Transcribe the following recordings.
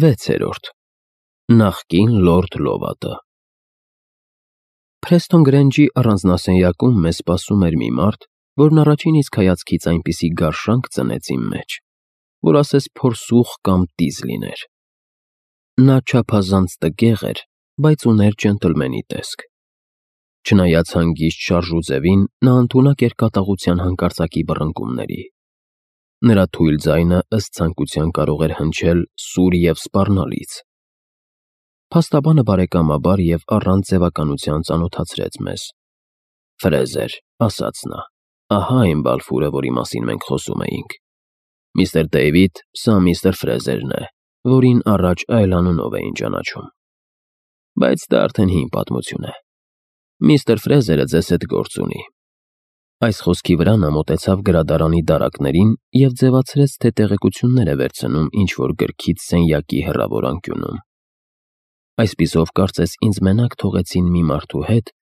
6. Նախկին լորդ Լովատը։ Փրեստոն Գրենջի առանձնասենյակում մեզ սպասում էր մի մարդ, որն առաջին իսկ հայացքից այնպիսի գարշանք ծնեց իմ մեջ, որ ասես փորսուխ կամ տիզ լիներ։ Նա չափազանց տգեղ էր, բայց ուներ ջենտլմենի տեսք։ Չնայած հանգիստ շարժուձևին, նա ընդունակ էր կատաղության հանկարծակի բռնկումների։ Նրա թույլ ձայնը ըստ ցանկության կարող էր հնչել սուր և սպառնալից։ Փաստաբանը բարեկամաբար և առանց ձևականության ծանոթացրեց մեզ։ «Ֆրեզեր», ասաց նա, «ահա այն Բալֆուրը, որի մասին մենք խոսում էինք։ Միստր Դեյվիդ, սա միստր Ֆրեզերն է, որին առաջ այլ անունով էին ճանաչում։ Բայց դա արդեն հին պատմություն է։ Միստր Ֆրեզերը ձեզ հետ գործ ունի»։ Այս խոսքի վրա նա մոտեցավ գրադարանի դարակներին և ձևացրեց, թե տեղեկություններ է վերցնում ինչ-որ գրքից սենյակի հեռավոր անկյունում։ Այսպիսով, կարծես ինձ մենակ թողեցին մի մարդու հետ,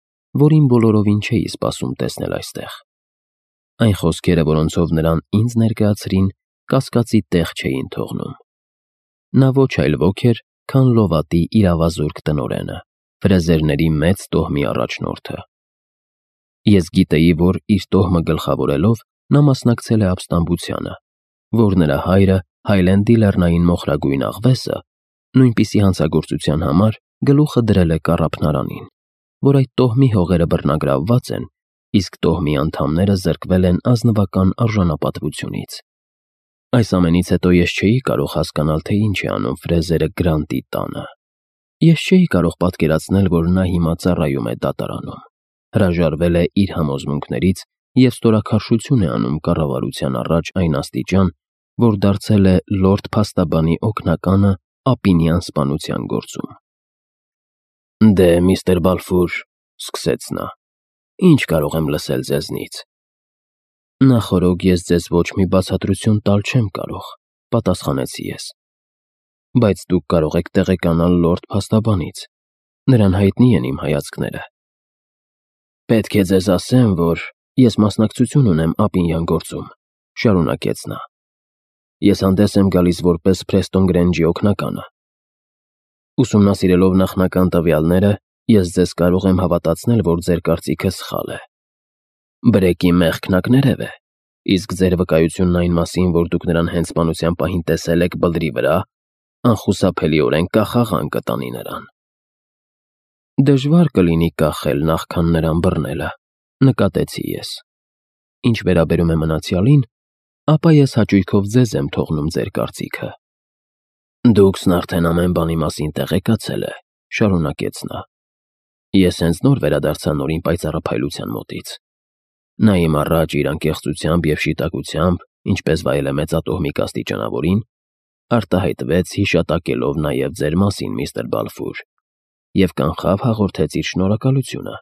որին բոլորովին չէի սպասում տեսնել այստեղ։ Այն խոսքերը, որոնցով նրան ինձ ներկայացրին, կասկածի տեղ չէին թողնում։ Նա ոչ այլ ոք էր, քան Լովատի իրավազորկ տնօրենը, Ֆրեզերների մեծ տոհմի առաջնորդը։ Ես գիտեի, որ իր տոհմը գլխավորելով նա մասնակցել է ապստամբությանը, որ նրա հայրը Հայլենդի լեռնային մոխրագույն աղվեսը նույնպիսի հանցագործության համար գլուխը դրել է կառափնարանին, որ այդ տոհմի հողերը բռնագրավված են, իսկ տոհմի անդամները զրկվել են ազնվական արժանապատվությունից։ Այս ամենից հետո ես չէի կարող հասկանալ, թե ինչ է անում Ֆրեզերը Գրանտի տանը։ Ես չէի կարող պատկերացնել, որ նա հիմա ծառայում է դատարանում, հրաժարվել է իր համոզմունքներից և ստորաքարշություն է անում կառավարության առաջ այն աստիճան, որ դարձել է լորդ փաստաբանի օգնականը ապինյան սպանության գործում։ «Դե, միստր Բալֆուր», սկսեց նա, «ինչ կարող եմ լսել ձեզնից»։ «Նախօրոք ես ձեզ ոչ մի բացատրություն տալ չեմ կարող», պատասխանեցի ես։ «Բայց դուք կարող եք տեղեկանալ լորդ փաստաբանից, նրան հայտնի են իմ հայացքները»։ «Պետք է ձեզ ասեմ, որ ես մասնակցություն ունեմ ապինյան գործում», շարունակեց նա։ «Ես հանդես եմ գալիս որպես Փրեստոն Գրենջի օգնականը։ Ուսումնասիրելով նախնական տվյալները, ես ձեզ կարող եմ հավատացնել, որ ձեր կարծիքը սխալ է։ Բրեկի մեղքն ակներև է, իսկ ձեր վկայությունն այն մասին, որ դուք նրան հենց սպանության պահին տեսել եք բլրի վրա, անխուսափելիորեն կախաղան կտանի նրան»։ «Դժվար կլինի կախել, նախքան նրան բռնելը», նկատեցի ես։ «Ինչ վերաբերում է մնացյալին, ապա ես հաճույքով ձեզ եմ թողնում ձեր կարծիքը»։ «Դուքսն արդեն ամեն բանի մասին տեղեկացել է», շարունակեց նա։ «Ես հենց նոր վերադարձա նորին պայծառափայլության մոտից։ Նա իմ առաջ իր անկեղծությամբ և շիտակությամբ, ինչպես վայել է մեծատոհմիկ աստիճանավորին, արտահայտվեց հիշատակելով նաև ձեր մասին, միստր Բալֆուր, և կանխավ հաղորդեց իր շնորհակալությունը,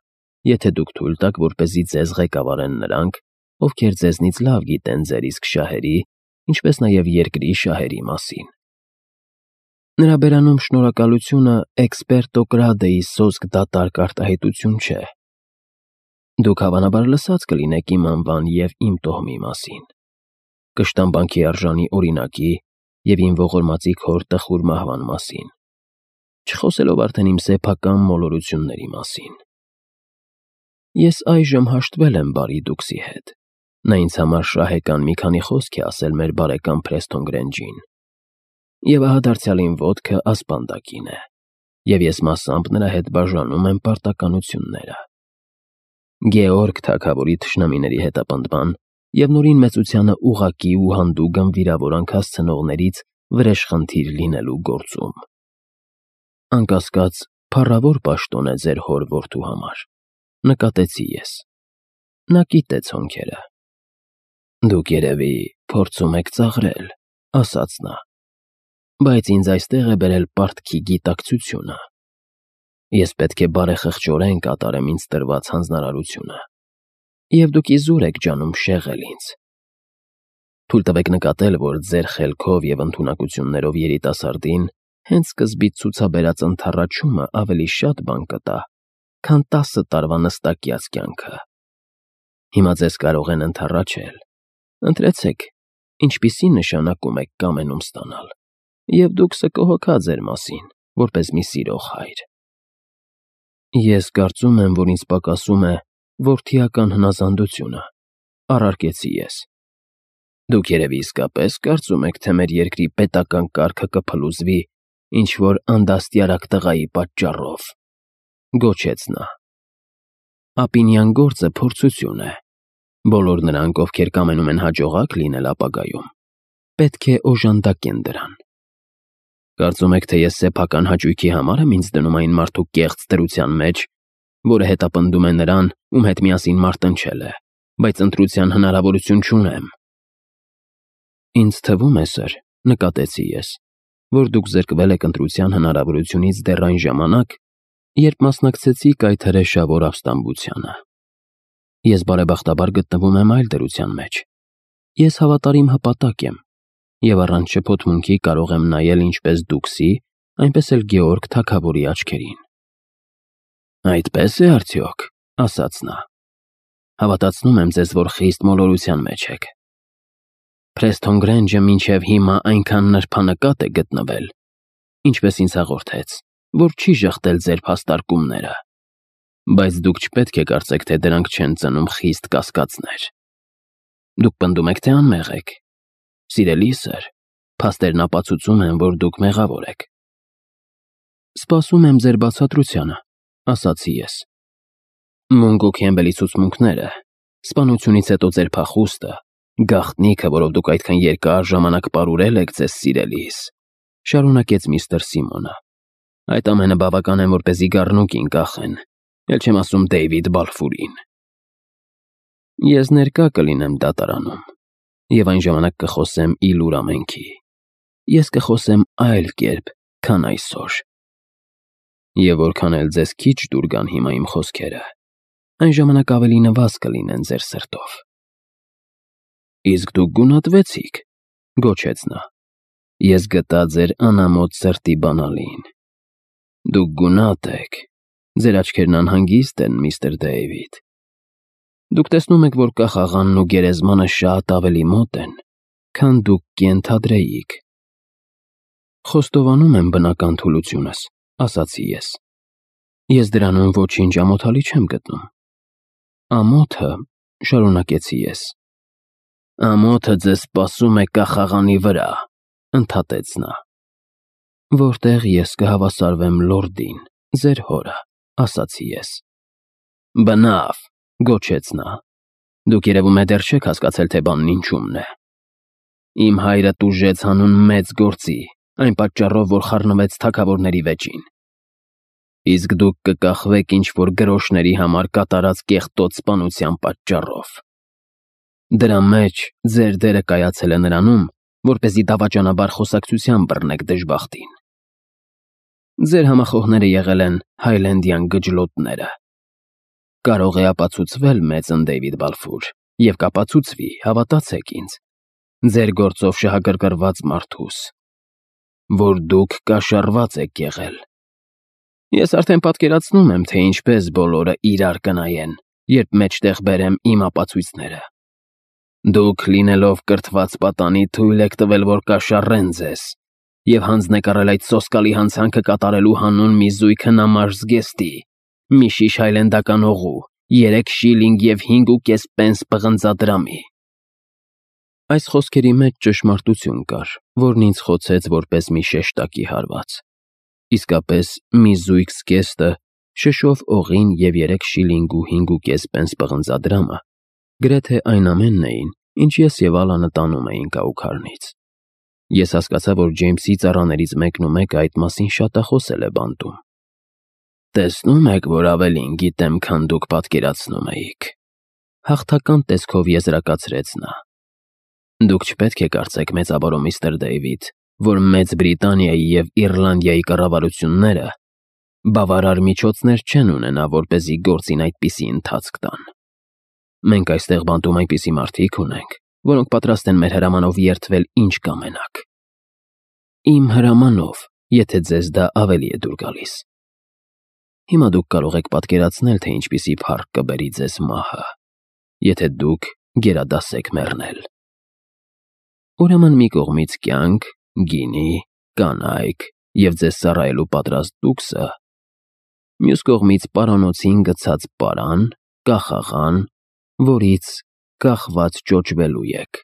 եթե դուք թույլ տաք, որպեսզի ձեզ ղեկավարեն նրանք, ովքեր ձեզնից լավ գիտեն ձեր իսկ շահերի, ինչպես նաև երկրի շահերի մասին։ Նրա բերանում շնորհակալությունը էքսպերտո կրադեի սոսկ դատարկ արտահայտություն չէ։ Դուք հավանաբար լսած կլինեք իմ անվան և իմ տոհմի մասին, կշտամբանքի արժանի օրինակի և իմ ողորմածի քոր տխուր մահվան մասին, չխոսելով արդեն իմ սեփական մոլորությունների մասին։ Ես այժմ հաշտվել եմ բարի դուքսի հետ։ Նա ինձ համար շահեկան մի քանի խոսք է ասել մեր բարեկամ Փրեստոն Գրենջին։ Եվ ահա դարձյալին ոտքը ասպանդակին է, և ես մասամբ նրա հետ բաժանում եմ պարտականությունները։ Գեորգ թագավորի թշնամիների հետապնդման և նորին մեծությանը ուղղակի ու հանդուգն վիրավորանք հասցնողներից վրեժխնդիր լինելու գործում։ Անկասկած, փառավոր պաշտոն է ձեր հոր որդու համար, նկատեցի ես։ Նա կիտեց հոնքերը։ Դուք երևի փորձում եք ծաղրել, ասաց նա, բայց ինձ այստեղ է բերել պարտքի գիտակցությունը։ Ես պետք է բարեխղճորեն կատարեմ ինձ տրված հանձնարարությունը, և դուք իզուր եք ջանում շեղել ինձ։ Թույլ տվեք նկատել, որ ձեր խելքով և ընդունակություններով երիտասարդին հենց սկզբից ցուցաբերած ընդառաջումը ավելի շատ բան կտա, քան 10 տարվա նստակյաց կյանքը։ Հիմա ձեզ կարող են ընդառաջել։ Ընտրեցեք, ինչպիսի նշանակում եք կամենում ստանալ, և դուք կկհոգա ձեր մասին, որպես մի սիրող հայր։ Ես կարծում եմ, որ ինձ պակասում է որդիական հնազանդությունը, առարկեցի ես։ Դուք երևի իսկապես կարծում եք, թե մեր երկրի պետական կարգը կփլուզվի ինչ-որ անդաստիարակ տղայի պատճառով, գոչեց նա։ Ապինյան գործը փորձություն է։ Բոլոր նրանք, ովքեր կամենում են հաջողակ լինել ապագայում, պետք է օժանդակեն դրան։ Կարծում եք, թե ես սեփական հաճույքի համար եմ ինձ դնում այն մարդու կեղծ դրության մեջ, որը հետապնդում է նրան, ում հետ միասին մարտնչել է, բայց ընտրության հնարավորություն չունեմ։ Ինձ թվում է, սըր, նկատեցի ես, որ դուք զրկվել եք ընտրության հնարավորությունից դեռ այն ժամանակ, երբ մասնակցեցիք այդ հրեշավոր ապստամբությանը։ Ես բարեբախտաբար գտնվում եմ այլ դրության մեջ։ Ես հավատարիմ հպատակ եմ, և առանց շփոթմունքի կարող եմ նայել ինչպես Դուքսի, այնպես էլ Գեորգ թագավորի աչքերին։ Այդպես է արդյոք, ասաց նա։ Հավատացնում եմ ձեզ, որ խիստ մոլորության մեջ եք։ Փրեսթոն Գրենջը մինչև հիմա այնքան նրբանկատ է գտնվել, ինչպես ինձ հաղորդեց, որ չի ժխտել ձեր փաստարկումները, բայց դուք չպետք է կարծեք, թե դրանք չեն ծնում խիստ կասկածներ։ Դուք պնդում եք, թե անմեղ եք։ Սիրելի սըր, փաստերն ապացուցում են, որ դուք մեղավոր եք։ Սպասում եմ ձեր բացատրությանը, ասացի ես։ Մունգո Քեմբելի ցուցմունքները, սպանությունից հետո ձեր փախուստը, գաղտնիքը, որով դուք այդքան երկար ժամանակ պարուրել եք ձեզ սիրելիս, շարունակեց միստր Սիմոնը։ Այդ ամենը բավական է, որպեսզի գառնուկին կախեն, էլ չեմ ասում Դեյվիդ Բալֆուրին։ Ես ներկա կլինեմ դատարանում, և այն ժամանակ կխոսեմ իլուր ամենքի։ Ես կխոսեմ այլ կերպ, քան այսօր։ Եվ որքան էլ ձեզ քիչ դուր գան հիմա իմ խոսքերը, այն ժամանակ ավելի նվազ կլինեն ձեր սրտով։ Իսկ դուք գունատվեցիք, գոչեց նա։ Ես գտա ձեր անամոթ սրտի բանալին։ Դուք գունատ եք, ձեր աչքերն անհանգիստ են, միստր Դեյվիդ։ Դուք տեսնում եք, որ կախաղանն ու գերեզմանը շատ ավելի մոտ են, քան դուք կենթադրեիք։ Խոստովանում եմ բնական թուլությունս, ասացի ես։ Ես դրանում ոչինչ ամոթալի չեմ գտնում։ Ամոթը, շարունակեցի ես։ Ամոթը ձեզ սպասում է կախաղանի վրա, ընդհատեց նա։ Որտեղ ես կհավասարվեմ լորդին, ձեր հորը, ասացի ես։ Բնավ, գոչեց նա։ Դուք երևում է դեռ չեք հասկացել, թե բանն ինչումն է։ Իմ հայրը տուժեց հանուն մեծ գործի, այն պատճառով, որ խառնվեց թագավորների վեճին։ Իսկ դուք կկախվեք ինչ-որ գրոշների համար կատարած կեղտոտ սպանության պատճառով։ Դրա մեջ ձեր դերը կայացել է նրանում, որպեսզի դավաճանաբար խոսակցության բռնեք դժբախտին։ Ձեր համախոհները եղել են հայլենդյան գջլոտները։ Կարող է ապացուցվել մեծն Դեյվիդ Բալֆուր, և կապացուցվի, հավատացեք ինձ, ձեր գործով շահագրգռված մարդուս, որ դուք կաշառված եք եղել։ Ես արդեն պատկերացնում եմ, թե ինչպես բոլորը իրար կնայեն, երբ մեջտեղ բերեմ իմ ապացույցները։ Դուք, լինելով կրթված պատանի, թույլ եք տվել, որ կաշառեն ձեզ, և հանձնեք առել այդ սոսկալի հանցանքը կատարելու հանուն մի զույգ հնամաշ զգեստի, մի շիշ հայլենդական օղու, 3 շիլինգ և 5.5 պենս պղնձադրամի։ Այս խոսքերի մեջ ճշմարտություն կար, որն ինձ խոցեց որպես մի շեշտակի հարված։ Իսկապես, մի զույգ զգեստը, շշով օղին և 3 շիլինգ ու 5.5 պենս պղնձադրամը գրեթե այն ամենն էին, ինչ ես և Ալանը տանում էինք Աուքարնից։ Ես հասկացա, որ Ջեյմսի ծառաներից մեկն ու մեկը այդ մասին շատախոսել է բանտում։ Տեսնում եք, որ ավելին գիտեմ, քան դուք պատկերացնում էիք։ Հաղթական տեսքով եզրակացրեց նա։ Դուք չպետք է կարծեք, մեծաբարո միստր Դեյվիդ, որ Մեծ Բրիտանիայի և Իռլանդիայի կառավարությունները բավարար միջոցներ չեն ունենա, որպեսզի գործին այդպիսի ընթացք տան։ Մենք այստեղ բանտում այնպիսի մարդիկ ունենք, որոնք պատրաստ են մեր հրամանով երդվել ինչ կամենաք։ Իմ հրամանով, եթե ձեզ դա ավելի է դուր գալիս։ Հիմա դուք կարող եք պատկերացնել, թե ինչպիսի փառք կբերի ձեզ մահը, եթե դուք գերադասեք մեռնել։ Ուրեմն մի կողմից կյանք, գինի, կանայք և ձեզ ծառայելու պատրաստ տուքսը, մյուս կողմից պարանոցին գցած պարան, կախաղան, որից կախված ճոճվելու եք։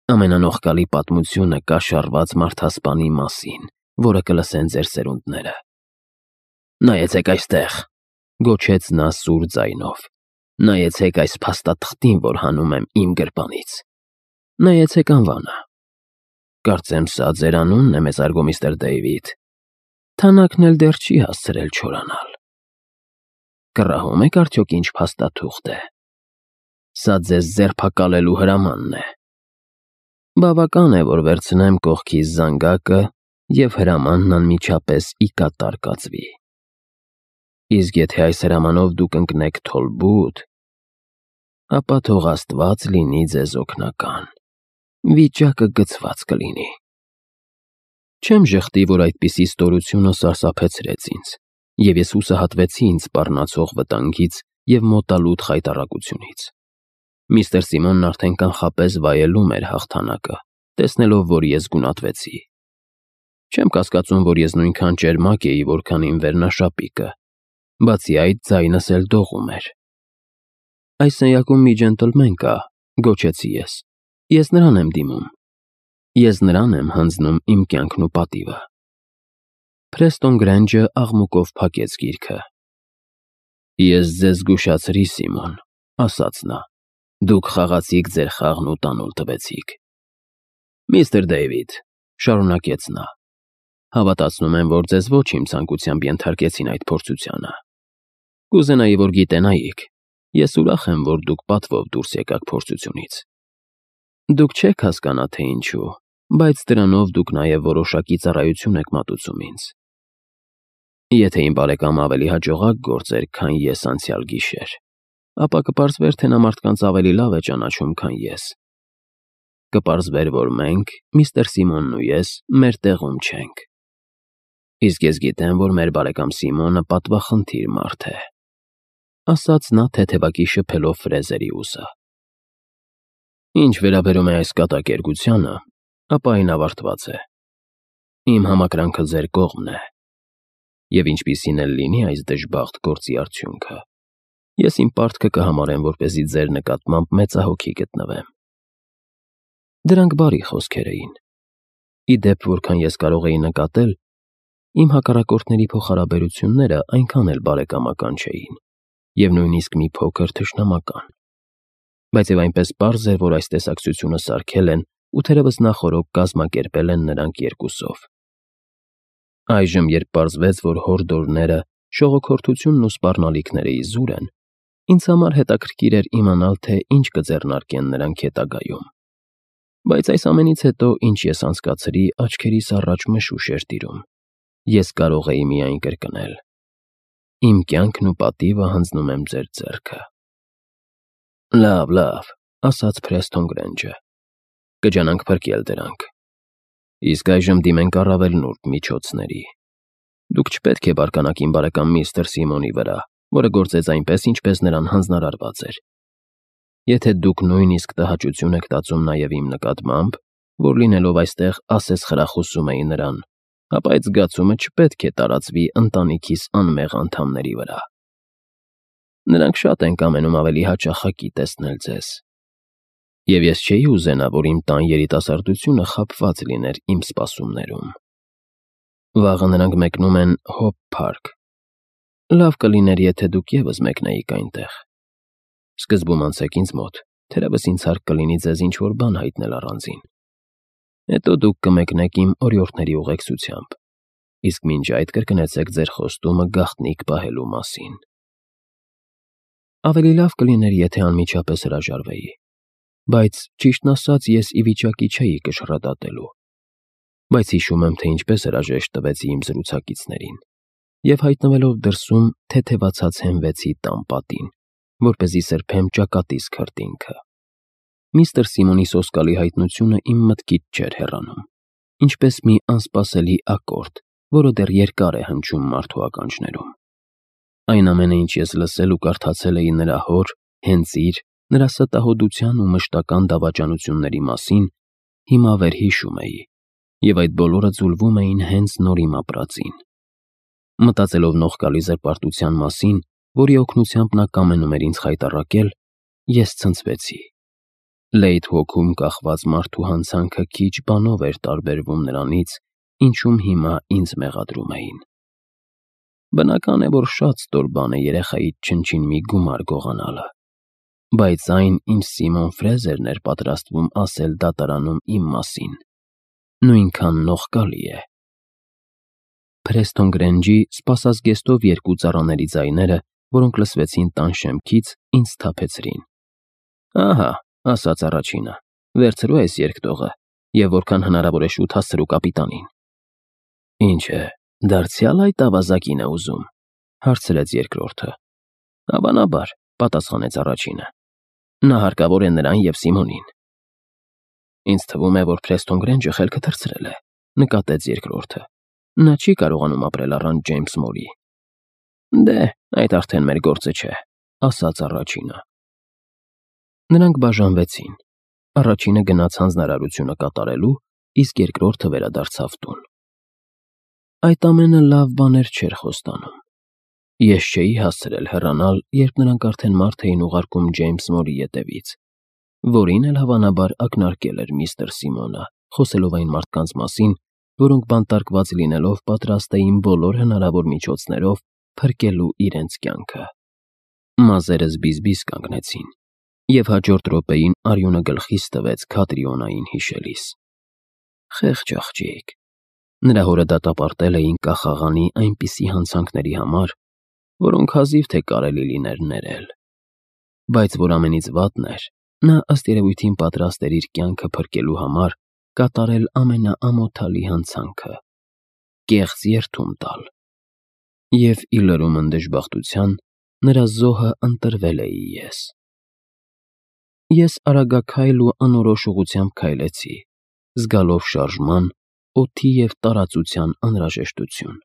Ամենանողկալի պատմությունը կաշառված մարդասպանի մասին, որը կլսեն ձեր սերունդները։ «Նայեցեք այստեղ», գոչեց նա սուր ձայնով, «նայեցեք այս փաստաթղթին, որ հանում եմ իմ գրպանից։ Նայեցեք անվանը։ Կարծեմ սա ձեր անունն է, մեծարգո միստր Դեյվիդ։ Թանակն էլ դեռ չի հասցրել չորանալ։ Կռահում եք արդյոք ինչ փաստաթուղթ է։ Սա ձեզ ձերբակալելու հրամանն է։ Բավական է, որ վերցնեմ կողքիս զանգակը և հրամանն անմիջապես ի կատար կացվի։ Իսկ եթե այս հրամանով դուք ընկնեք թոլբուտ, ապա թող Աստված լինի ձեզ օգնական, վիճակը գցված կլինի»։ Չեմ ժխտի, որ այդպիսի ստորությունը սարսափեցրեց ինձ, և ես հուսահատվեցի ինձ սպառնացող վտանգից և մոտալուտ խայտառակությունից։ Միստր Սիմոնն արդեն կանխապես վայելում էր հաղթանակը, տեսնելով, որ ես գունատվեցի։ Չեմ կասկածում, որ ես նույնքան ճերմակ էի, որքան իմ վերնաշապիկը, բացի այդ ձայնս էլ դողում էր։ «Այս սենյակում մի ջենտլմեն կա», գոչեցի ես։ «Ես նրան եմ դիմում։ Ես նրան եմ հանձնում իմ կյանքն ու պատիվը»։ Փրեստոն Գրենջը աղմուկով փակեց գիրքը։ «Ես ձեզ զգուշացրի, Սիմոն», ասաց նա։ «Դուք խաղացիք ձեր խաղն ու տանուլ տվեցիք»։ «Միստր Դեյվիդ», շարունակեց նա, «հավատացնում եմ, որ ձեզ ոչ իմ ցանկությամբ ենթարկեցին այդ փորձությանը։ Կուզենայի, որ գիտենայիք, ես ուրախ եմ, որ դուք պատվով դուրս եկաք փորձությունից։ Դուք չեք հասկանա, թե ինչու, բայց դրանով դուք նաև որոշակի ծառայություն եք մատուցում ինձ։ Եթե իմ բարեկամը ավելի հաջողակ գործեր, քան ես անցյալ գիշեր, ապա կպարզվեր, թե նա մարդկանց ավելի լավ է ճանաչում, քան ես։ Կպարզվեր, որ մենք, միստր Սիմոնն ու ես, մեր տեղում չենք։ Իսկ ես գիտեմ, որ մեր բարեկամ Սիմոնը պատվախնդիր մարդ է», ասաց նա թեթևակի շփելով ֆրեզերի ուսը։ «Ինչ վերաբերում է այս կատակերգությանը, ապա այն ավարտված է։ Իմ համակրանքը ձեր կողմն է, և ինչպիսին էլ լինի այս դժբախտ գործի արդյունքը, ես իմ պարտքը կհամարեմ, որպեսզի ձեր նկատմամբ մեծահոգի գտնվեմ»։ Դրանք բարի խոսքեր էին։ Ի դեպ, որքան ես կարող էի նկատել, իմ հակառակորդների փոխհարաբերությունները այնքան էլ բարեկամական չէին, և նույնիսկ մի փոքր թշնամական։ Բայց և այնպես պարզ էր, որ այս տեսակցությունը սարքել են ու թերևս նախօրոք կազմակերպել են նրանք երկուսով։ Այժմ, երբ պարզվեց, որ հորդորները, շողոքորթությունն ու սպառնալիքները իզուր են, ինձ համար հետաքրքիր էր իմանալ, թե ինչ կձեռնարկեն նրանք հետագայում։ Բայց այս ամենից հետո, ինչ ես անցկացրի, աչքերիս առաջ մշուշ էր տիրում։ Ես կարող էի միայն կրկնել. «Իմ կյանքն ու պատիվը հանձնում եմ ձեր ձեռքը»։ Լավ, ասաց Փրեստոն Գրենջը, կջանանք փրկել դրանք։ Իսկ այժմ դիմենք առավել նուրբ միջոցների։ Դուք չպետք է բարկանաք իմ բարեկամ միստր Սիմոնի վրա, որը գործեց այնպես, ինչպես նրան հանձնարարված էր։ Եթե դուք նույնիսկ տհաճություն եք տածում նաև իմ նկատմամբ, որ լինելով այստեղ ասես խրախուսում էի նրան, ապա այդ զգացումը չպետք է տարածվի ընտանիքիս անմեղ անդամների վրա։ Նրանք շատ են կամենում ավելի հաճախակի տեսնել ձեզ։ Եվ ես չէի ուզենա, որ իմ տան երիտասարդությունը խաբված լիներ իմ սպասումներում։ Վաղը նրանք մեկնում են Հոփ Փարք։ Լավ կլիներ, եթե դուք ևս մեկնեիք այնտեղ։ Սկզբում անցեք ինձ մոտ, թերևս ինձ հարկ կլինի ձեզ ինչ-որ բան հայտնել առանձին։ Հետո դուք կմեկնեք իմ օրիորդների ուղեկցությամբ, իսկ մինչ այդ կրկնեցեք ձեր խոստումը գաղտնիք պահելու մասին։ Ավելի լավ կլիներ, եթե անմիջապես հրաժարվեի, բայց ճիշտն ասած ես ի վիճակի չէի կշռադատելու։ Բայց հիշում եմ, թե ինչպես հրաժեշտ տվեցի իմ զրուցակիցներին, և հայտնվելով դրսում թեթևացած հենվեցի տան պատին, որպեսզի սրբեմ ճակատիս քրտինքը։ Միստր Սիմոնի սոսկալի հայտնությունը իմ մտքից չէր հեռանում, ինչպես մի անսպասելի ակորդ, որը դեռ երկար է հնչում մարդու ականջներում։ Այն ամենը, ինչ ես լսել ու կարդացել էի նրա հոր, հենց իր, նրա ստահոդության ու մշտական դավաճանությունների մասին, հիմա վերհիշում էի, և այդ բոլորը ձուլվում էին հենց նոր իմ ապրածին։ Մտածելով նողկալի զրպարտության մասին, որի օգնությամբ նա կամենում էր ինձ խայտառակել, ես ցնցվեցի։ Լեյթ հոգում կախված մարդու հանցանքը քիչ բանով էր տարբերվում նրանից, ինչում հիմա ինձ մեղադրում էին։ Բնական է, որ շատ ստոր բան է երեխայիդ չնչին մի գումար գողանալը, բայց այն իմ Սիմոն Ֆրեզերն էր պատրաստվում ասել դատարանում իմ մասին, նույնքան նողկալի է։ Փրեստոն Գրենջի սպասազգեստով երկու ծառաների ձայները, որոնք լսվեցին տան շեմքից, ինձ սթափեցրին։ «Ահա», ասաց առաջինը, «վերցրու այս երկտողը և որքան հնարավոր է շուտ հասցրու կապիտանին»։ «Ինչ է, դարձյալ այդ ավազակին է ուզում», հարցրեց երկրորդը։ «Հավանաբար», պատասխանեց առաջինը, «նա հարկավոր է նրան և Սիմոնին»։ «Ինձ թվում է, որ Փրեստոն Գրենջը խելքը թռցրել է», նկատեց երկրորդը։ «Նա չի կարողանում ապրել առանց Ջեյմս Մորի»։ «Դե, այդ արդեն մեր գործը չէ», ասաց առաջինը։ Նրանք բաժանվեցին։ Առաջինը գնաց հանձնարարությունը կատարելու, իսկ երկրորդը վերադարձավ տուն։ Այդ ամենը լավ բաներ չէր խոստանում։ Ես չէի հասցրել հեռանալ, երբ նրանք արդեն մարդ էին ուղարկում Ջեյմս Մորի ետևից, որին էլ հավանաբար ակնարկել էր միստր Սիմոնը, խոսելով այն մարդկանց մասին, որոնք բանտարկված լինելով պատրաստ էին բոլոր հնարավոր միջոցներով փրկելու իրենց կյանքը։ Մազերս բիզբիզ կանգնեցին, և հաջորդ րոպեին արյունը գլխիս տվեց Քատրիոնային հիշելիս։ Խեղճ աղջիկ։ Նրա հորը դատապարտել էին կախաղանի այնպիսի հանցանքների համար, որոնք հազիվ թե կարելի լիներ ներել։ Բայց որ ամենից վատն էր, նա ըստ երևույթին պատրաստ էր իր կյանքը փրկելու համար կատարել ամենաամոթալի հանցանքը՝ կեղծ երդում տալ։ Եվ ի լրումն դժբախտության, նրա զոհը ընտրվել էի ես։ Ես արագաքայլ ու անորոշ ուղղությամբ քայլեցի, զգալով շարժման, օդի և տարածության անհրաժեշտություն։